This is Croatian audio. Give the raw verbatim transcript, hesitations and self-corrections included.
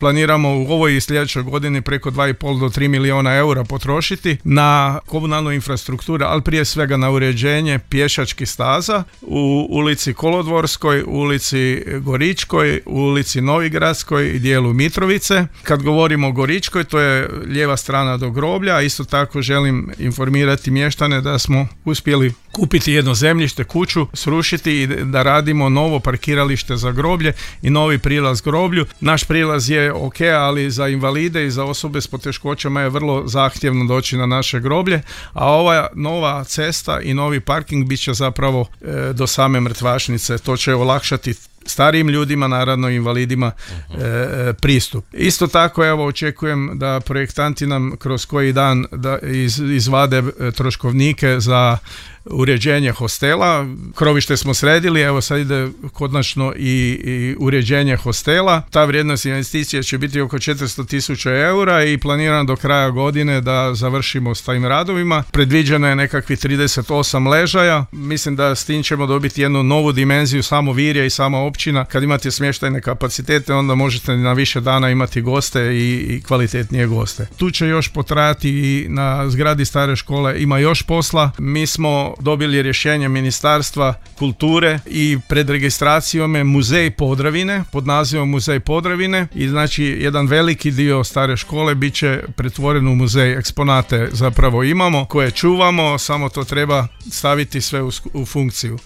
Planiramo u ovoj i sljedećoj godini preko dva i pol do tri milijuna eura potrošiti na komunalnu infrastrukturu, ali prije svega na uređenje pješačkih staza u ulici Kolodvorskoj, ulici Goričkoj, ulici Novigradskoj i dijelu Mitrovice. Kad govorimo o Goričkoj, to je lijeva strana do groblja, a isto tako želim informirati mještane da smo uspjeli kupiti jedno zemljište, kuću, srušiti i da radimo novo parkiralište za groblje i novi prilaz groblju. Naš prilaz je ok, ali za invalide i za osobe s poteškoćama je vrlo zahtjevno doći na naše groblje, a ova nova cesta i novi parking bit će zapravo e, do same mrtvačnice. To će olakšati starijim ljudima, naravno invalidima, e, pristup. Isto tako, evo, očekujem da projektanti nam kroz koji dan da iz, izvade troškovnike za uređenje hostela. Krovište smo sredili, evo sad ide konačno i, i uređenje hostela. Ta vrijednost investicije će biti oko četiristo tisuća eura i planiram do kraja godine da završimo s tim radovima. Predviđeno je nekakvih trideset osam ležaja. Mislim da s tim ćemo dobiti jednu novu dimenziju samo Virja i sama općina. Kad imate smještajne kapacitete, onda možete na više dana imati goste i, i kvalitetnije goste. Tu će još potrajati i na zgradi stare škole ima još posla. Mi smo dobili rješenje Ministarstva kulture i pred registracijom je Muzej Podravine, pod nazivom Muzej Podravine, i znači jedan veliki dio stare škole bit će pretvoren u muzej. Eksponate zapravo imamo koje čuvamo, samo to treba staviti sve u, u funkciju.